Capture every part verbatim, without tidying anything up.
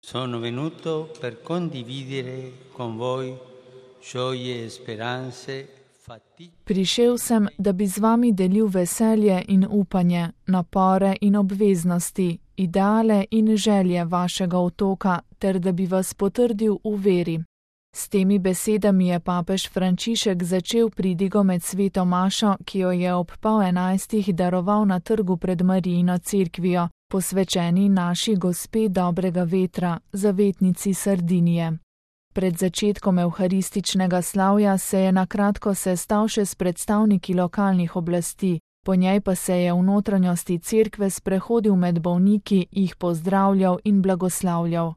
Sono venuto per condividere con voi gioie e speranze. Prišel sem, da bi z vami delil veselje in upanje, napore in obveznosti, ideale in želje vašega otoka, ter da bi vas potrdil v veri. S temi besedami je papež Frančišek začel pridigo med sveto mašo, ki jo je ob pol enajstih daroval na trgu pred Marijino cerkvijo, posvečeni naši gospe dobrega vetra, zavetnici Sardinije. Pred začetkom evharističnega slavja se je na kratko sestal še s predstavniki lokalnih oblasti, po njej pa se je v notranjosti cerkve sprehodil med bolniki, jih pozdravljal in blagoslavljal.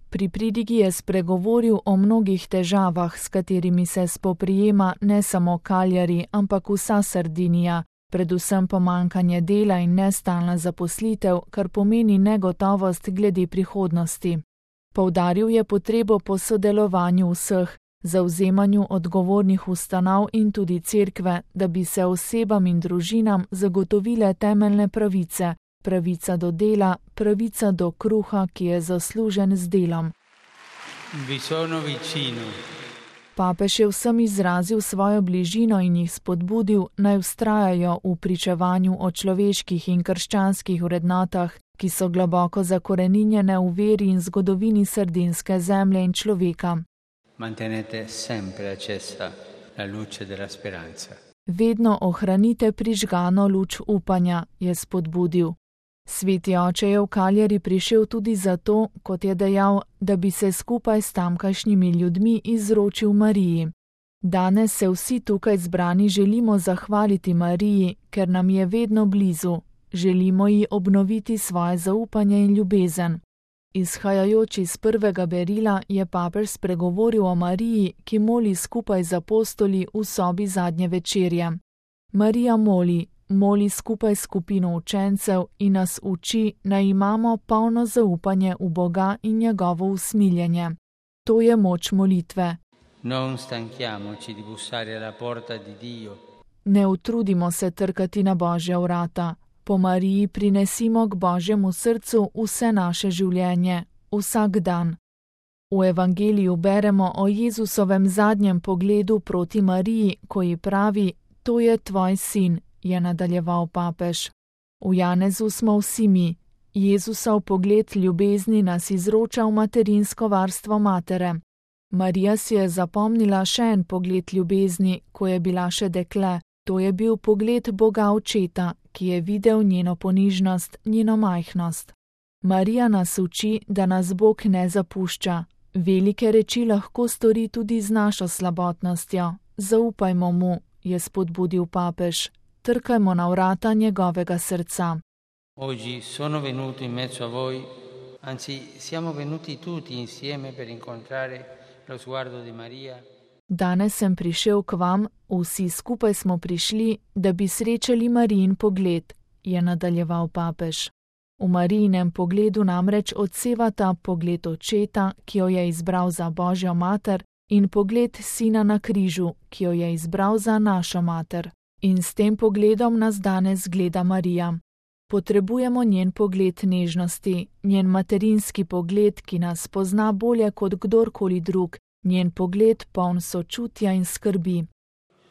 Pri pridigi je spregovoril o mnogih težavah, s katerimi se spoprijema ne samo Cagliari, ampak vsa Sardinija, predvsem pomanjkanje dela in nestalna zaposlitev, kar pomeni negotovost glede prihodnosti. Poudaril je potrebo po sodelovanju vseh, zavzemanju odgovornih ustanov in tudi cerkve, da bi se osebam in družinam zagotovile temeljne pravice, pravica do dela, pravica do kruha, ki je zaslužen z delom. Vi sono vicino. Papež je vsem izrazil svojo bližino in jih spodbudil, naj vztrajajo v pričevanju o človeških in krščanskih vrednotah, ki so globoko zakoreninjene v veri in zgodovini sardinske zemlje in človeka. Mantenete sempre accesa la luce della speranza. Vedno ohranite prižgano luč upanja, je spodbudil. Sveti oče je v Cagliari prišel tudi zato, kot je dejal, da bi se skupaj s tamkajšnjimi ljudmi izročil Mariji. Danes se vsi tukaj zbrani želimo zahvaliti Mariji, ker nam je vedno blizu. Želimo ji obnoviti svoje zaupanje in ljubezen. Izhajajoč iz prvega berila je papež spregovoril o Mariji, ki moli skupaj z apostoli v sobi zadnje večerje. Marija moli, moli skupaj s skupino učencev in nas uči, naj imamo polno zaupanje v Boga in njegovo usmiljenje. To je moč molitve. Non stanchiamoci di bussare alla porta di Dio. Ne utrudimo se trkati na Božja vrata. Po Mariji prinesimo k Božjemu srcu vse naše življenje, vsak dan. V evangeliju beremo o Jezusovem zadnjem pogledu proti Mariji, ko ji pravi, to je tvoj sin, je nadaljeval papež. V Janezu smo vsi mi. Jezusov pogled ljubezni nas izroča v materinsko varstvo matere. Marija si je zapomnila še en pogled ljubezni, ko je bila še dekle. To je bil pogled Boga Očeta, ki je videl njeno ponižnost, njeno majhnost. Marija nas uči, da nas Bog ne zapušča. Velike reči lahko stori tudi z našo slabotnostjo. Zaupajmo mu, je spodbudil papež. Trkajmo na vrata njegovega srca. Oggi sono venuto in mezzo a voi, anzi siamo venuti tutti insieme per incontrare lo sguardo di Maria. Danes sem prišel k vam, vsi skupaj smo prišli, da bi srečali Marijin pogled, je nadaljeval papež. V Marijinem pogledu namreč odsevata pogled Očeta, ki jo je izbral za Božjo mater, in pogled Sina na križu, ki jo je izbral za našo mater. In s tem pogledom nas danes gleda Marija. Potrebujemo njen pogled nežnosti, njen materinski pogled, ki nas pozna bolje kot kdorkoli drug, njen pogled poln sočutja in skrbi.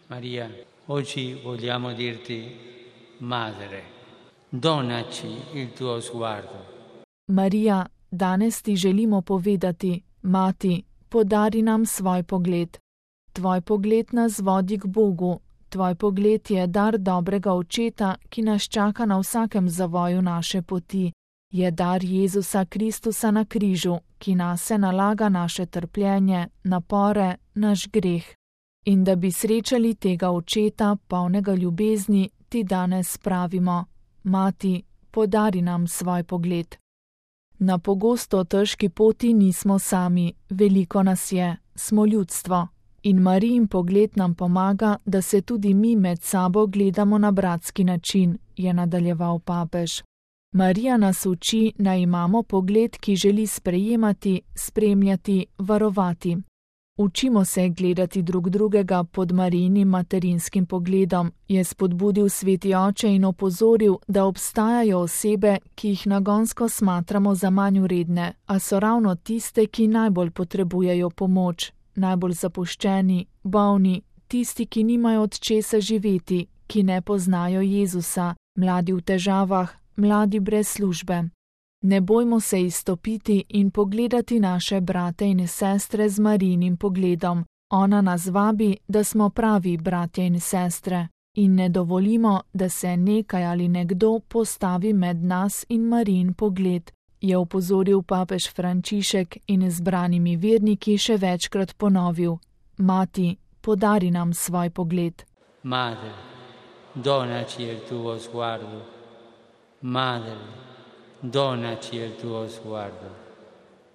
Maria, oggi vogliamo dirti, madre, donaci il tuo sguardo. Marija, danes ti želimo povedati, mati, podari nam svoj pogled. Tvoj pogled nas vodi k Bogu, tvoj pogled je dar dobrega Očeta, ki nas čaka na vsakem zavoju naše poti. Je dar Jezusa Kristusa na križu, ki nase nalaga naše trpljenje, napore, naš greh. In da bi srečali tega Očeta, polnega ljubezni, ti danes pravimo, mati, podari nam svoj pogled. Na pogosto težki poti nismo sami, veliko nas je, smo ljudstvo. In Marijin pogled nam pomaga, da se tudi mi med sabo gledamo na bratski način, je nadaljeval papež. Marija nas uči, naj imamo pogled, ki želi sprejemati, spremljati, varovati. Učimo se gledati drug drugega pod Marijinim materinskim pogledom, je spodbudil sveti oče in opozoril, da obstajajo osebe, ki jih nagonsko smatramo za manj vredne, a so ravno tiste, ki najbolj potrebujejo pomoč, najbolj zapuščeni, bolni, tisti, ki nimajo od česa živeti, ki ne poznajo Jezusa, mladi v težavah, mladi brez službe. Ne bojmo se izstopiti in pogledati naše brate in sestre z Marijinim pogledom. Ona nas vabi, da smo pravi bratje in sestre, in ne dovolimo, da se nekaj ali nekdo postavi med nas in Marijin pogled, je opozoril papež Frančišek in zbranimi verniki še večkrat ponovil: Mati, podari nam svoj pogled. Madre, donaci il tuo sguardo. Madre, donaci il tuo sguardo.